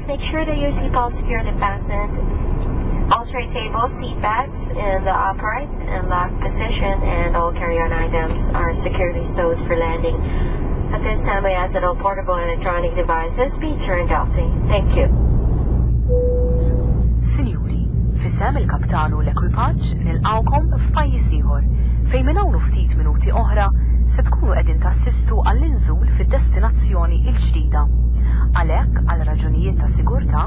Please make sure that your seatbelt securely fastened. All tray tables, seat backs in the upright and locked position, and all carry-on items are securely stowed for landing. At this time, I ask that all portable electronic devices be turned off. Thank you. Sinjuri, f'isem il-kaptan u l-ekwipaġġ nilqgħukom f'pajjiż ieħor, fejn minn hawn u ftit minuti oħra se tkunu qegħdin tassistu għall-inżul fid-destinazzjoni l-ġdida. Għalhekk, għal raġunijiet ta' sigurtà,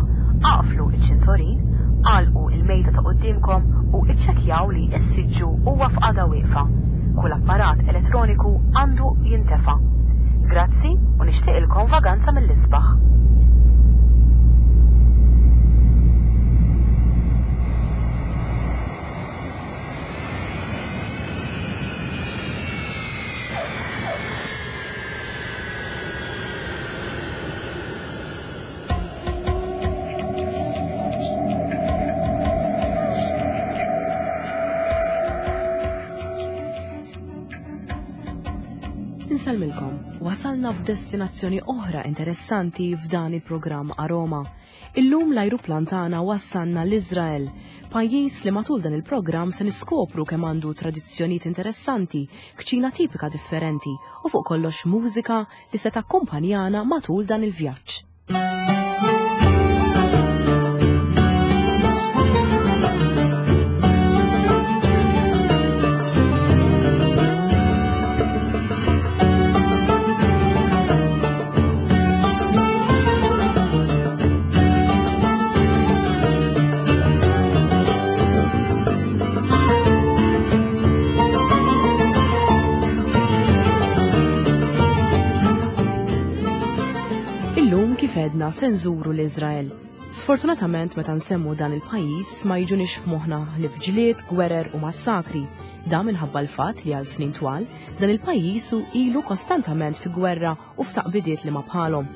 aqflu ċ-ċintorin, agħlqu l-mejda ta' quddiemkom u iċċekkjaw li s-siġġu huwa f'qagħda wieqfa. Kull apparat elettroniku għandu jintefa'. Grazzi u nixtieqilkom vaganza mill-isbaħ. Insellmilkom, wasalna f'destinazzjoni oħra interessanti f'dan il-programm Aroma. Illum l-ajruplan tagħna wassalna l-Iżrael, pajjiż li matul dan il-programm se niskopru kemm għandu tradizzjonijiet interessanti, kċina tipika differenti u fuq kollox mużika li se takkumpanjana matul dan il-vjaġġ. Illum kif edna se nżuru l-Iżrael. Sfortunatament meta nsemmu dan il-pajjiż ma jiġunix f'moħħna ħlief ġlied, gwerer u massakri. Dan minħabba l-fatt li għal snin twal dan il-pajjiż hu ilu kostantament fi gwerra u f'taqbidiet li ma bħalhom.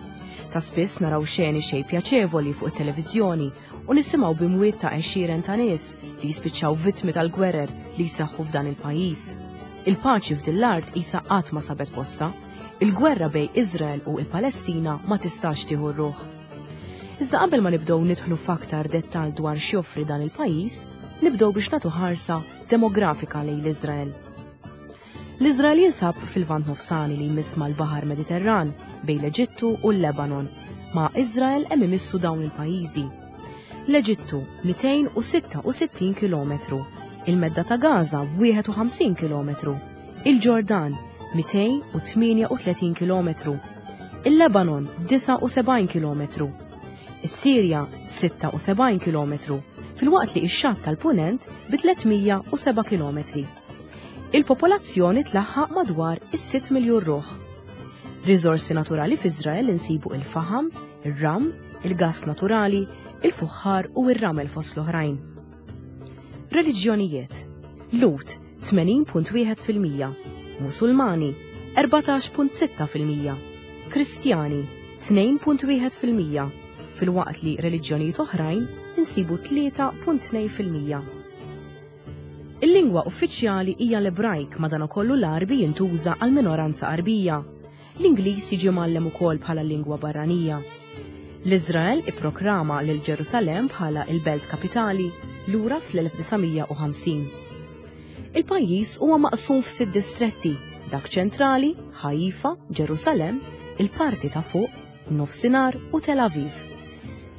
Ta' spiss naraw xeni xejn pjaċevoli fuq it-televiżjoni u nisimgħu b'imwiet ta' għexieren ta' nies li jispiċċaw vittmi tal-gwerer li jseħħu f'dan il-pajjiż. Il-paċi f'din l-art qisha qatt ma sabet postha. Il-gwerra bejn Iżrael u l-Palestina ma tistax tieħu r-ruħ. Iżda qabel ma nibdew nidħlu f'aktar dettall dwar x'joffri dan il-pajjiż, nibdew biex nagħtu ħarsa demografika lejn l-Iżrael. L-Iżrael jinsab fil-Lvant Nofsani li jmiss mal-Baħar Mediterran bejn l-Eġittu u l-Lebanon. Ma' Iżrael hemm imissu dawn il-pajjiżi. L-Eġittu 266 km, il-Medda ta' Gaza 51 km, il-Ġordan 238 km, il-Lebanon 79 km, is-Sirja 76 km, filwaqt li x-xatt tal-Punent bi 307 km. Il-popolazzjoni tlaħħaq madwar is-6 miljun ruħ. Riżorsi naturali f'Iżrael insibu il-faħam, ir-ram, il-gass naturali, il-fuħħar u r-ramel fost l-oħrajn. Reliġjonijiet. Lhud 80.1%, Musulmani 14.6%, Kristjani 2.1%, filwaqt li reliġjonijiet oħrajn insibu 3.2%. Il-lingwa uffiċjali hija l-Ebrajk madankollu l-Għarbi jintuża għal minoranza Għarbija. L-Ingliż jiġi mgħallem ukoll bħala lingwa barranija. L-Iżrael ipprokrama lil Ġerusalemm bħala l-belt kapitali lura fl-1950. Il-pajjiż huwa maqsum f'sitt distretti, dak ċentrali, Ħaifa, Ġerusalemm, il-parti ta' fuq, Nofsinhar u Tel Aviv.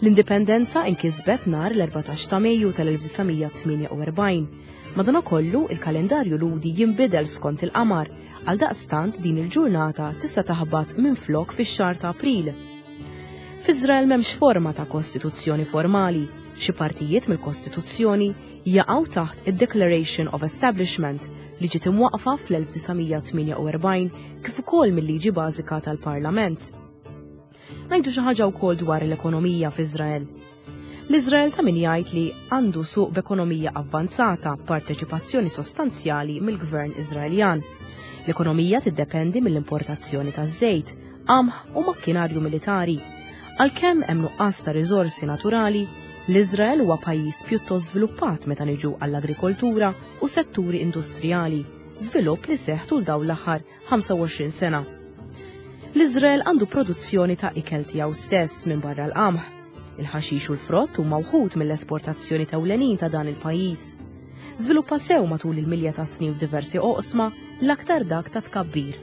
L-indipendenza inkisbet nhar l-14 ta' Mejju tal-1948. Madanakollu, il-kalendarju Lhudi jinbidel skont il-qamar, għaldaqstant din il-ġurnata tista' taħbat minflok fix-xahar ta' April. F'Iżrael m'hemmx forma ta' kostituzzjoni formali, xi partijiet mill-kostituzzjoni jaqgħu taħt id-Declaration of Establishment li ġiet imwaqqfa fl-1948 kif ukoll mil-liġi bażika tal-Parlament. Ngħidu xi ħaġa wkoll dwar l-ekonomija f'Iżrael. L-Iżrael ta' min jgħid li għandu suq b'ekonomija avvanzata b'parteċipazzjoni sostanzjali mill-gvern Iżraeljan. L-ekonomija tiddependi mill-importazzjoni taż-żejt, qamħ u makkinarju militari. Għalkemm hemm nuqqas ta' riżorsi naturali, l-Iżrael huwa pajjiż pjuttost żviluppat meta niġu għall-agrikoltura u setturi industrijali, żvilupp li seħħ tul dawn l-aħħar 25 sena. L-Iżrael għandu produzzjoni ta' ikel tiegħu stess minn barra l-qamħ. Il-ħaxix u l-frott huma wħud mill-esportazzjoni tewlenin ta' dan il-pajjiż. Żviluppa sew matul il-milja ta' snin f'diversi oqsma, l-aktar dak ta' tkabbir.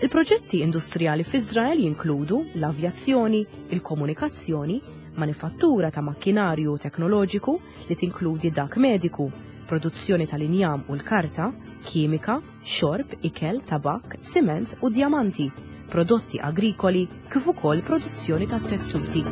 Il-proġetti industrijali f'Iżrael jinkludu l-avjazzjoni, il-komunikazzjoni, manifattura ta' makkinarju teknoloġiku li tinkludi dak mediku, produzzjoni tal-injam u l-karta, kimika, xorb, ikel, tabakk, siment u djamanti, prodotti agrikoli kif ukoll produzzjoni ta' tessuti.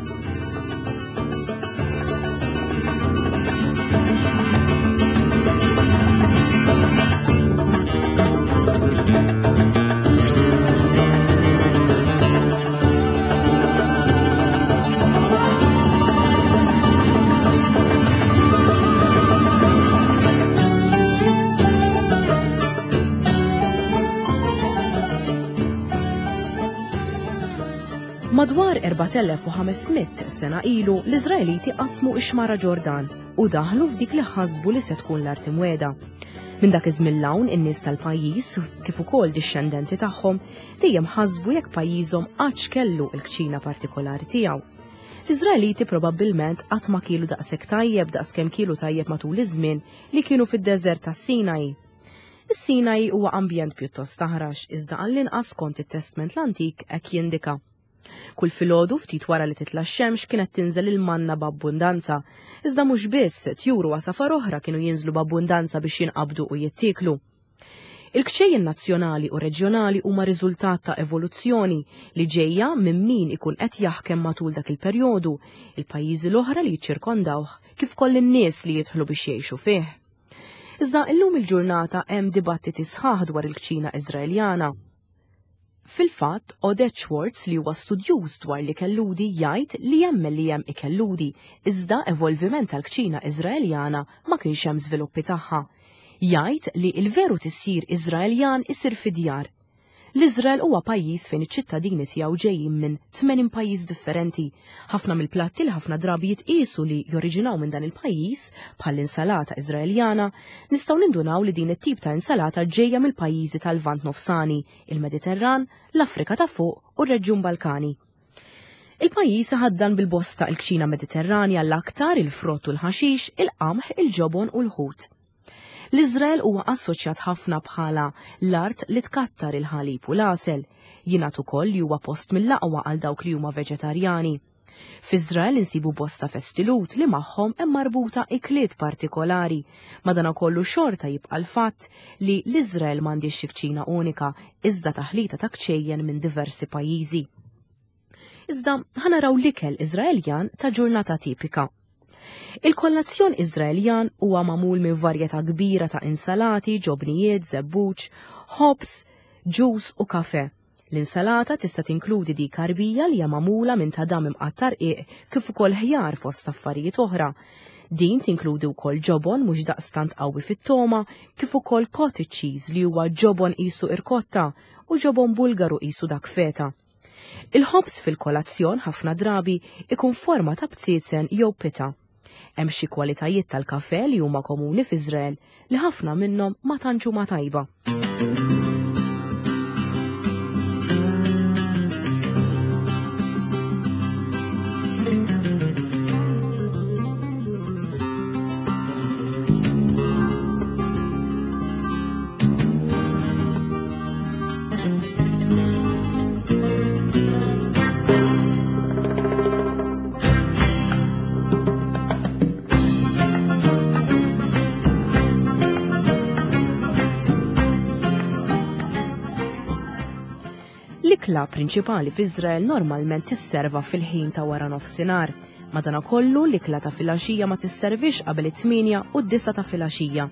Madwar 4500 sena ilu l-Iżraeliti qasmu ix-xmara Ġordan u daħlu f'dik li ħasbu li se tkun l-art imwiegħda. Minn dak iż-żmien l-hawn in-nies tal-pajjiż kif ukoll dixxendenti tagħhom dejjem ħasbu jekk pajjiżhom qattx kellu l-kċina partikolari tiegħu. L-Iżraeliti probabbilment qatt ma kielu daqshekk tajjeb daqskemm kielu tajjeb matul iż-żmien li kienu fid-deżert tas-Sinai. Is-Sinai huwa ambjent pjuttost aħrax iżda għall-inqas skont it-Testment l-Antik hekk jindika. Kull filgħodu ftit wara li titla' x-xemx kienet tinżel il-manna b'abbundanza. Iżda mhux biss, tjur u għasafar oħra kienu jinżlu b'abbundanza biex jinqabdu u jittieklu. Il-kċejjen nazzjonali u reġjonali huma riżultat ta' evoluzzjoni li ġejja minn min ikun qed jaħkem matul dak il-perjodu, il-pajjiżi l-oħra li jiċċirkondawh, kif ukoll in-nies li jidħlu biex jgħixu fih. Iżda illum il-ġurnata hemm dibattiti sħaħ dwar il-kċina Iżraeljana. Fil-fatt, Oded Schwartz li huwa studjuż dwar l-ikel Lhudi jgħid li jemmen li hemm ikel Lhudi, iżda evolviment tal-kċina Iżraeljana ma kienx hemm żviluppi tagħha. Jgħid li l-veru tisjir Iżraeljan isir fid-djar. L-Iżrael huwa pajjiż fejn iċ-ċittadini tiegħu ġejjin minn 80 pajjiż differenti. Ħafna mill-platti li ħafna drabi jitqiesu li joriġinaw minn dan il-pajjiż, bħall-insalata Iżraeljana, nistgħu nindunaw li din it-tip ta' insalata ġejja mill-pajjiżi tal-Lvant Nofsani, il-Mediterran, l-Afrika ta' Fuq u r-Reġjun Balkani. Il-pajjiż iħaddan bil-bosta il-kċina Mediterranja l-aktar il-frott u l-ħaxix, il-qamħ, il-ġobon u l-ħut. L-Iżrael huwa assoċjat ħafna bħala l-art li tkattar il-ħalib u l-għasel. Jingħad ukoll li huwa post mill-aqwa għal dawk li huma veġetarjani. F'Iżrael insibu bosta festi Lhud li magħhom hemm marbuta ikliet partikolari. Madanakollu xorta jibqa' l-fatt li l-Iżrael m'għandhiex xi kċina unika iżda taħlita ta' kċejjen minn diversi pajjiżi. Iżda ħa naraw l-ikel Iżraeljan ta' ġurnata tipika. Il-kollazzjon Iżraeljan huwa magħmul minn varjetà kbira ta' insalati, ġobnijiet, żebbuġ, ħobż, ġus u kafe. L-insalata tista' tinkludi dik għarbija li hija magħmula minn tadam imqatta' rqiq kif ukoll ħjar fost affarijiet oħra. Din tinkludi wkoll ġobon mhux daqstant qawwi fit-togħma kif ukoll cottage cheese li huwa ġobon qisu irkotta u ġobon Bulgaru qisu dak feta. Il-ħobż fil-kolazzjon ħafna drabi ikun forma ta' bziezen jew pita. Hemm xi kwalitajiet tal-kafè li huma komuni f'Iżrael li ħafna minnhom ma tantx huma tajba. L-ikla prinċipali f'Iżrael normalment tisserva fil-ħin ta' wara nofsinhar. Madanakollu l-ikla ta' filgħaxija ma tisservix qabel it-8 u d-9 ta' filgħaxija.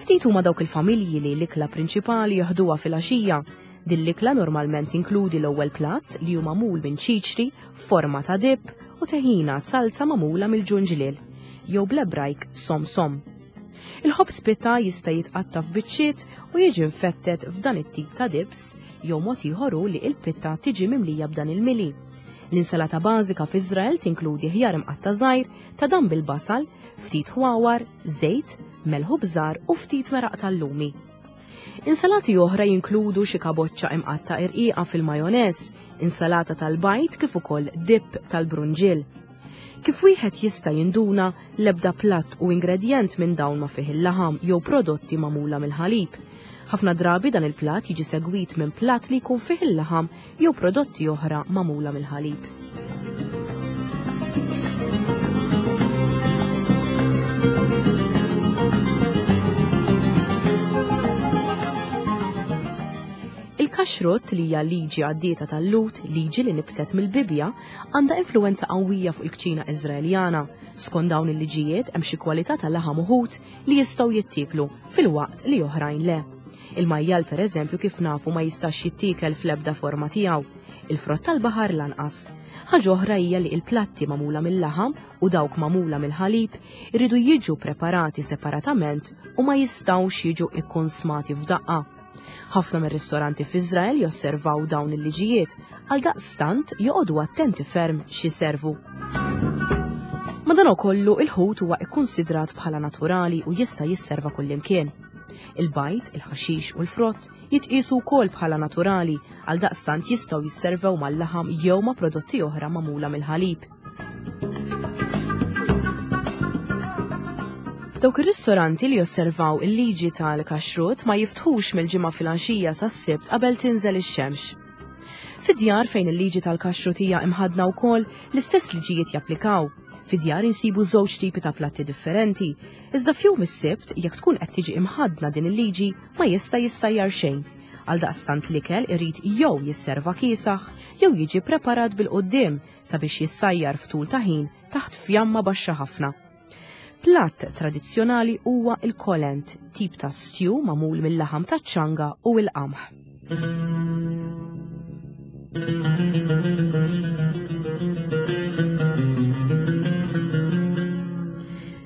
Ftit huma dawk il-familji li l-ikla prinċipali joħduha filgħaxija. Din l-ikla normalment tinkludi l-ewwel platt li hu magħmul minn ċiċri f'forma ta' dip u teħina salza magħmula mill-ġunġliel, jew bl-Ebrajk som som. Il-ħobż pita jista' jitqatta' f'biċċiet u jiġi mfettet f'dan it-tip ta' dips jew mod ieħor hu li l-pitta tiġi mimlija b'dan il-mili. L-insalata bażika f'Iżrael tinkludi ħjar imqatta' żgħir, tadam bil-basal, ftit ħwawar, żejt, melħ u bżar u ftit meraq tal-lumi. Insalati oħra jinkludu xi kaboċċa imqatta' irqiqa fil-majoneż, insalata tal-bajd kif ukoll dip tal-brunġiel. Kif wieħed jista' jinduna, l-ebda platt u ingredjent minn dawn ma fih il-laħam jew prodotti magħmula mill-ħalib. Ħafna drabi dan il-platt jiġi segwit minn platt li jkun fih il-laħam jew prodotti oħra magħmula mill-ħalib. Il-kaxrut li hija liġi għaddieta tal-Lut, liġi li nibtet mill-Bibbja, għandha influenza qawwija fuq il-kċina Iżraeljana. Skont dawn il-liġijiet hemm xi kwalità ta' laħam uħud li jistgħu jittieklu filwaqt li oħrajn le. Il-majjal pereżempju kif nafu ma jistax jittiekel fl-ebda forma tiegħu. Il-frott tal-baħar lanqas. Ħaġa oħra hija li il-platti magħmula mill-laħam u dawk magħmula mill-ħalib iridu jiġu preparati separatament u ma jistgħux jiġu ikkonsmati f'daqqa. Ħafna mir-ristoranti f'Iżrael josservaw dawn il-liġijiet, għaldaqstant joqogħdu attenti ferm x'iservu. Madankollu, il-ħut huwa kkunsidrat bħala naturali u jista' jisserva kullimkien. Il-bajd, il-ħaxix u l-frott jitqiesu wkoll bħala naturali, għaldaqstant jistgħu jisservew mal-laħam jew ma' prodotti oħra magħmula mill-ħalib. Dawk ir-ristoranti li josservaw il-liġi tal-kaxrut ma jiftħux mill-Ġimgħa filgħaxija sas-Sibt qabel tinżel ix-xemx. Fid-djar fejn il-liġi tal-kaxrut hija imħaddna wkoll, l-istess liġijiet japplikaw. Fid-djar insibu żewġ tipi ta' platti differenti, Iżda f'jum is-Sibt, jekk tkun qed tiġi imħaddna din il-liġi, ma jista' jissajjar xejn. Għaldaqstant l-ikel irid jew jisserva kiesaħ jew jiġi preparat bil-quddiem sabiex jissajjar f'tul ta' ħin taħt fjamma baxxa ħafna. Platt tradizzjonali huwa l-kolent, tip ta' stew magħmul mil-laħam taċ-ċanga u l-qamħ.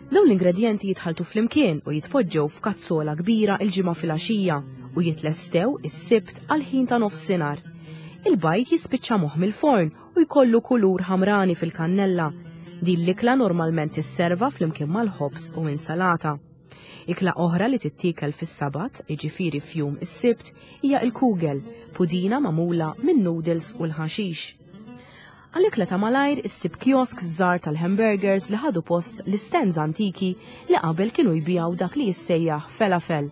Dawn l-ingredjenti jitħalltu flimkien u jitpoġġew f'kazzola kbira il-Ġimgħa filgħaxija u jitlestew is-Sibt għall-ħin ta' nofsinhar. Il-bajd jispiċċa moħ mill-forn u jkollu kulur ħamrani fil-kannella. Din l-ikla normalment tisserva flimkien mal-ħobż u insalata. Ikla oħra li tittiekel fis-Sabat, jiġifieri f'jum is-Sibt, hija l-kugel, pudina magħmula minn noodles u l-ħaxix. Għal ikla ta' malajr issib kiosks żgħar tal-hamburgers li ħadu post l-istands antiki li qabel kienu jbigħu dak li jissejjaħ felafel.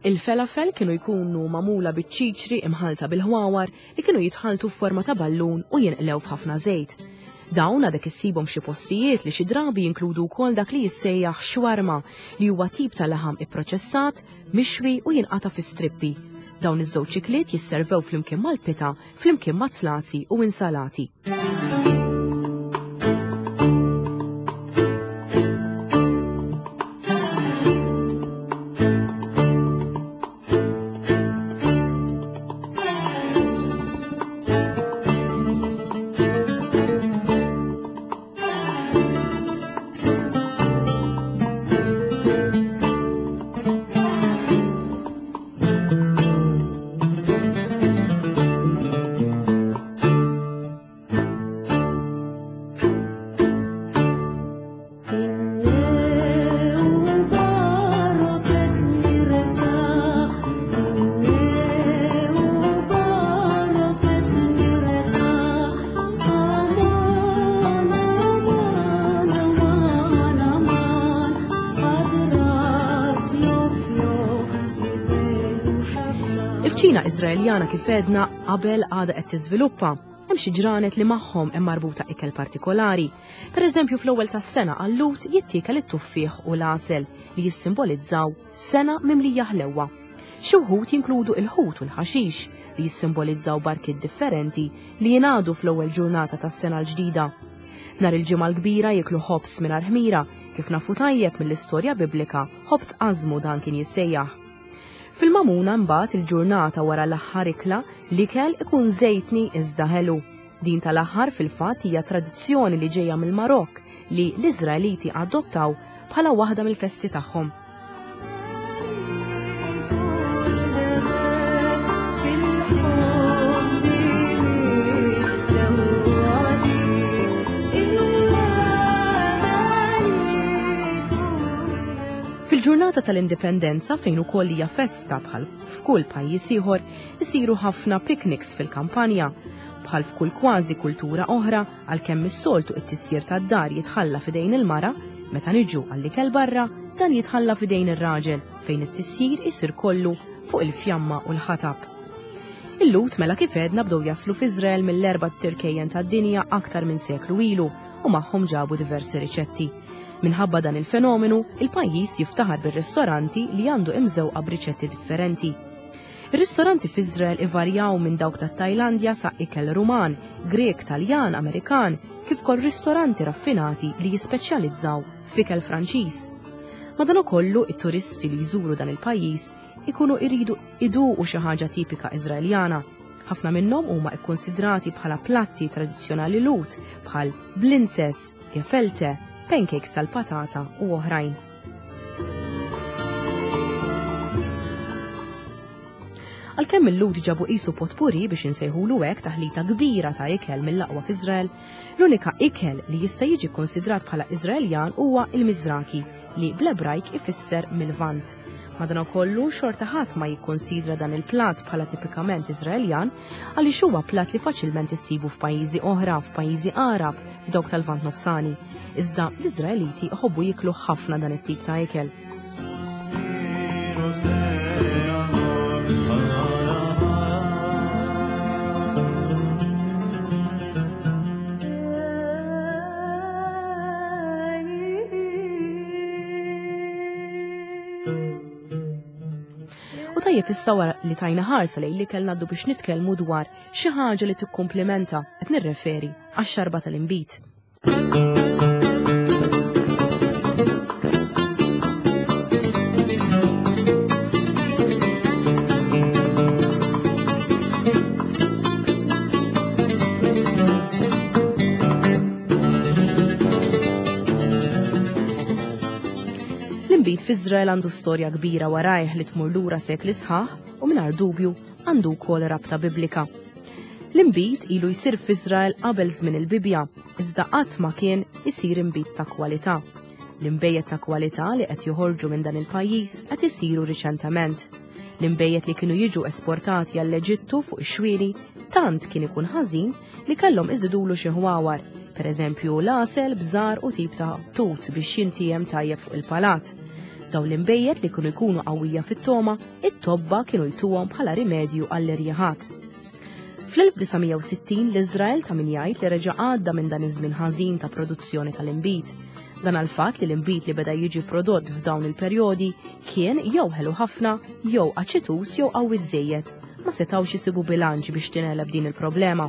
Il-felafel kienu jkunu magħmula biċ-ċiċri imħallta bil-ħwawar li kienu jitħalltu f'forma ta' ballun u jinqlew f'ħafna żejt. Dawn għadek issibhom f'xi postijiet li xi drabi jinkludu wkoll dak li jissejjaħ xwarma li huwa tip ta' laħam ipproċessat, mixwi u jinqata' fi strippi. Dawn iż-żewġ ikliet jisservew flimkien mal-pita flimkien ma' zlazi u insalati. Il-kċina Iżraeljana kif għedna qabel għadha qed tiżviluppa. Hemm xi ġranet li magħhom hemm marbuta ikel partikolari. Per eżempju fl-ewwel tas-sena għal-Lhud jittiekel it-tuffieħ u l-għasel li jissimbolizzaw sena mimlija ħlewwa. Xi wħud jinkludu il-ħut u l-ħaxix li jissimbolizzaw barkiet differenti li jingħadu fl-ewwel ġurnata tas-sena l-ġdida. Nhar il-Ġimgħa l-Kbira jieklu ħobż mingħajr ħmira, kif nafu tajjeb mill-istorja Biblika, ħobż ażmu dan kien jissejjaħ. Fil-Magħmuna mbagħad il-ġurnata wara l-aħħar ikla, l-ikel ikun żejtni iżda ħelu. Din tal-aħħar fil-fatt hija tradizzjoni li ġejja mill-Marokk li l-Iżraeliti adottaw bħala waħda mill-festi tagħhom. Fil-ġurnata Fil-festa tal-Indipendenza fejn ukoll hija festa bħal f'kull pajjiż ieħor isiru ħafna picnics fil-kampanja. Bħal f'kull kważi kultura oħra, għalkemm is-soltu it-tisjir tad-dar jitħalla f'idejn il-mara, meta niġu għall-ikel barra, dan jitħalla f'idejn ir-raġel fejn it-tisjir isir kollu fuq il-fjamma u l-ħatab. Il-Lhud mela kif għedna bdew jaslu f'Iżrael mill-erba' tirkejjen tad-dinja aktar minn seklu ilu u magħhom ġabu diversi riċetti. Minħabba dan il-fenomenu, il-pajjiż jiftaħar bir-ristoranti li għandu imżewqa b'riċetti differenti. Ir-ristoranti f'Iżrael ivarjaw minn dawk tat-Tajlandja sa ikel Ruman, Grek, Taljan, Amerikan, kif ukoll ristoranti raffinati li jispeċjalizzaw f'ikel Franċiż. Madankollu, it-turisti li jżuru dan il-pajjiż ikunu iridu iduqu xi ħaġa tipika Iżraeljana. Ħafna minnhom huma kkunsidrati bħala platti tradizzjonali Lhud bħal blintzes, gefelte, pancakes tal-patata u oħrajn. Għalkemm il-Lhud ġabu qisu potpuri biex insejħulu hekk taħlita kbira ta' ikel mill-aqwa f'Iżrael, l-unika ikel li jista' jiġi kkonsidrat bħala Iżraeljan huwa il-Mizraki, li bl-Ebrajk ifisser mil-Lvant. Madanakollu, xorta ħadd ma jikkunsidra dan il-platt bħala tipikament Iżraeljan għaliex huwa platt li faċilment issibu f'pajjiżi oħra, f'pajjiżi Għarab, f'dawk tal-Lvant Nofsani. Iżda l-Iżraeliti jħobbu jiklu ħafna dan it-tip ta' ikel. U tajjeb issa wara li tajna ħarsa lejn li kellna għaddu biex nitkellmu dwar xi ħaġa li tikkumplimenta qed nirreferi għax-xarba tal-inbid. L-inbid f'Iżrael għandu storja kbira warajh li tmur lura sekli sħaħ u mingħajr dubju għandu wkoll rabta biblika. L-inbid ilu jsir f'Iżrael qabel żmien il-Bibbja, iżda qatt ma kien isir inbid ta' kwalità. L-inbejjed ta' kwalità li qed joħorġu minn dan il-pajjiż qed isiru riċentement. L-inbejjed li kienu jiġu esportati għall-Eġittu fuq ix-xwieni tant kien ikun ħażin li kellhom iżidulu xi ħwawar, pereżempju l-għasel, bżar u tip ta' tut biex jintijem tajjeb fuq il-palat. Dawn l-inbejjed li kienu jkunu qawwija fit-toma, it-tobba kienu jtuhom bħala rimedju għall-irjiħat. Fl-1960 l-Iżrael ta' min jgħid li reġa' għadda minn dan iż-żmien ħażin ta' produzzjoni tal-inbid. Dan għal fatt li l-inbid li beda jiġi prodott f'dawn il-perjodi kien jew ħelu ħafna, jew aċitus jew qawwi żejjed. Ma setgħux isibu bilanċ biex tingħeleb din il-problema.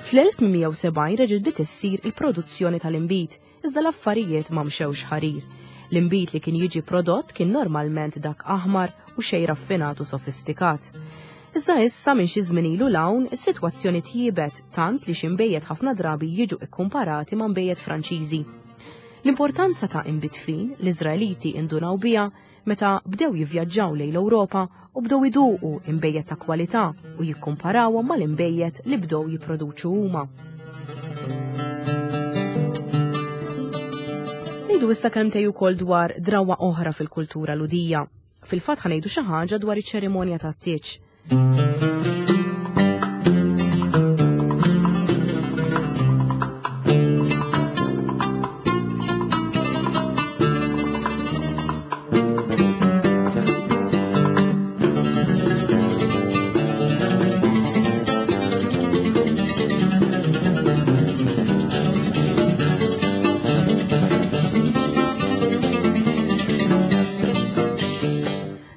Fl-1870 reġgħet bdiet issir il-produzzjoni tal-inbid, iżda l-affarijiet ma mxewx ħarir. L-inbid li kien jiġi prodott kien normalment dak aħmar u xejn raffinat u sofistikat. Iżda issa minn xi żmien ilu 'l hawn, is-sitwazzjoni tjiebet tant li xi nbejjed ħafna drabi jiġu kkumparati ma' nbejjed Franċiżi. L-importanza ta' inbid fin l-Iżraeliti indunaw biha meta bdew jivvjaġġaw lejn l-Ewropa u bdew iduqu inbejjed ta' kwalità u jikkumparawhom mal-inbejjed li bdew jipproduċu huma. Ngħidu issa kelmtej ukoll dwar drawwa oħra fil-kultura Lhudija. Fil-fatt ħanejdu xi ħaġa dwar iċ-ċerimonja tat-tieġ.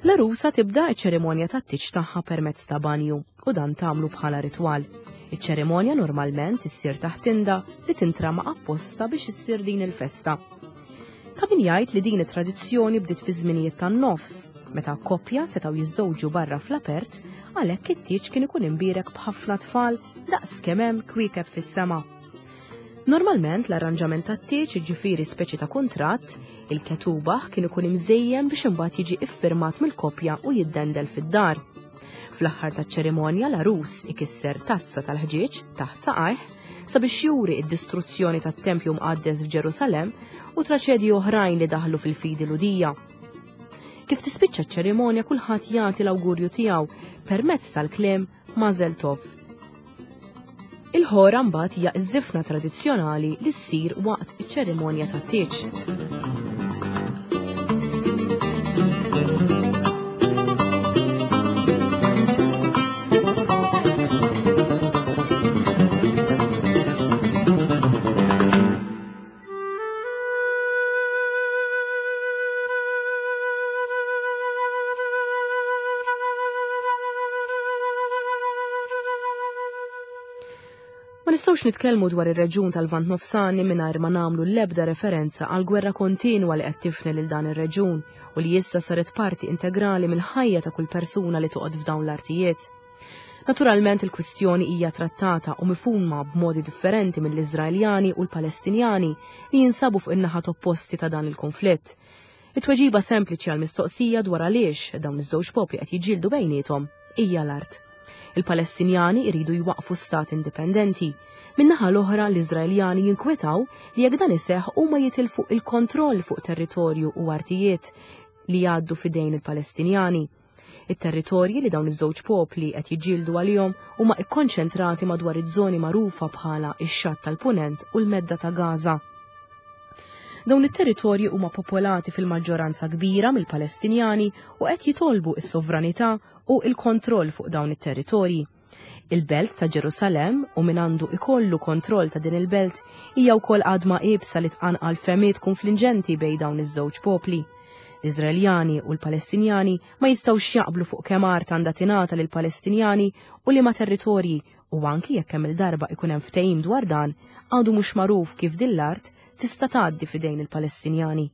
L-għarusa tibda ċ-ċerimonja tat-tieġ tagħha permezz ta' banju u dan tagħmlu bħala ritwal. Iċ-ċerimonja normalment issir taħt tinda li tintrama apposta biex issir din il-festa. Ta' min jgħid li din it-tradizzjoni bdiet fi żminijiet tan-nofs, meta koppja setgħu jiżżewġu barra fl-apert, għalhekk it-tieġ kien ikun imbierek b'ħafna tfal daqs kemm hemm kwiekeb fis-sema. Normalment l-arranġament tat-tieġ jiġifieri speċi ta' kuntratt, il-ketubah kien ikun imżejjen biex imbagħad jiġi iffirmat mill-koppja u jiddendel fid-dar. Fl-aħħar taċ-ċerimonja l-għarus ikisser tazza tal-ħġieġ taħt saqajh sabiex juri id-distruzzjoni tat-tempju mqaddes f'Ġerusalemm u traċedji oħrajn li daħlu fil-fidi Lhudija. Kif tispiċċa ċ-ċerimonja kulħadd jagħti l-awgurju tiegħu permezz tal-kliem Mazel Tov. Il-ħora mbagħad hija ż-żifna tradizzjonali li ssir waqt iċ-ċerimonja tat-tieġ. Ma nistgħux nitkellmu dwar ir-reġjun tal-Lvant Nofsani mingħajr ma nagħmlu l-ebda referenza għal gwerra kontinwa li qed tifni lil dan ir-reġjun u li issa saret parti integrali mill-ħajja ta' kull persuna li toqgħod f'dawn l-artijiet. Naturalment il-kwistjoni hija trattata u mifhuma b'modi differenti mill-Iżraeljani u l-Palestinjani li jinsabu fuq in-naħat opposti ta' dan il-konflitt. It-tweġiba sempliċi għal mistoqsija dwar għaliex dawn iż-żewġ popli qed jiġġieldu bejniethom hija l-art. Il-Palestinjani jridu jwaqqfu stat indipendenti. Min-naħa l-oħra l-Iżraeljani jinkwetaw li jekk dan iseħħ huma jitilfu il-kontroll fuq territorju u artijiet li jgħaddu f'idejn il-Palestinjani. It-territorji li dawn iż-żewġ popli qed jiġġieldu għalihom huma kkonċentrati madwar iż-żoni magħrufa bħala x-Xatt tal-Punent u l-Medda ta' Gaza. Dawn it-territorji huma popolati fil-maġġoranza kbira mill-Palestinjani u qed jitolbu s-sovranità u l-kontroll fuq dawn it-territorji. Il-belt ta' Ġerusalemm u min għandu ikollu kontroll ta' din il-belt hija wkoll għadma iebsa li tqanqal fehmiet kunflinġenti bejn dawn iż-żewġ popli. L-Iżraeljani u l-Palestinjani ma jistgħux jaqblu fuq kemm art għandha tingħata lill-Palestinjani u liema territorji u anki jekk kemm il-darba ikun hemm ftehim dwar dan, għadu mhux magħruf kif din l-art tista' tgħaddi f'idejn il-Palestinjani.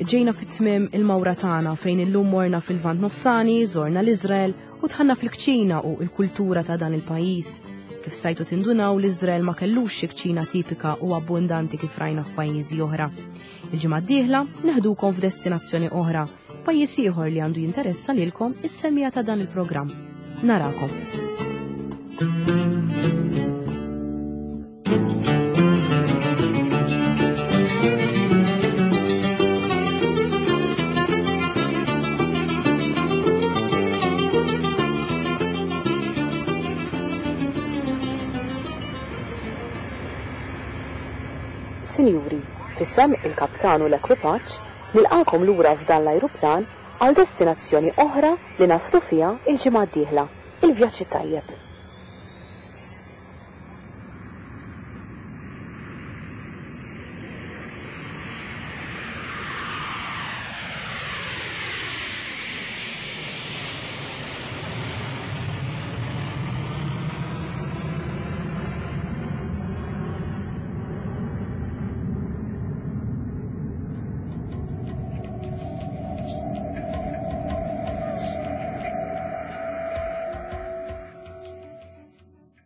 ġejna fit-tmiem il-mawra tagħna fejn illum morna fil-Lvant Nofsani, żorna l-Iżrael u dħalna fil-kċina u l-kultura ta' dan il-pajjiż. Kif stajtu tindunaw l-Iżrael ma kellux xi kċina tipika u abbundanti kif rajna f'pajjiżi oħra. Il-ġimgħa d-dieħla neħdukom f'destinazzjoni oħra, f'pajjiż ieħor li għandu jinteressa lilkom is-semmiegħa ta' dan il-programm. Narakom. Sinjuri, f'isem il-kaptan u l-ekwipaġġ, nilqagħkom lura f'dan l-ajruplan għal destinazzjoni oħra li naslu fiha l-ġimgħa d-dieħla. Il-vjaġġ it-tajjeb.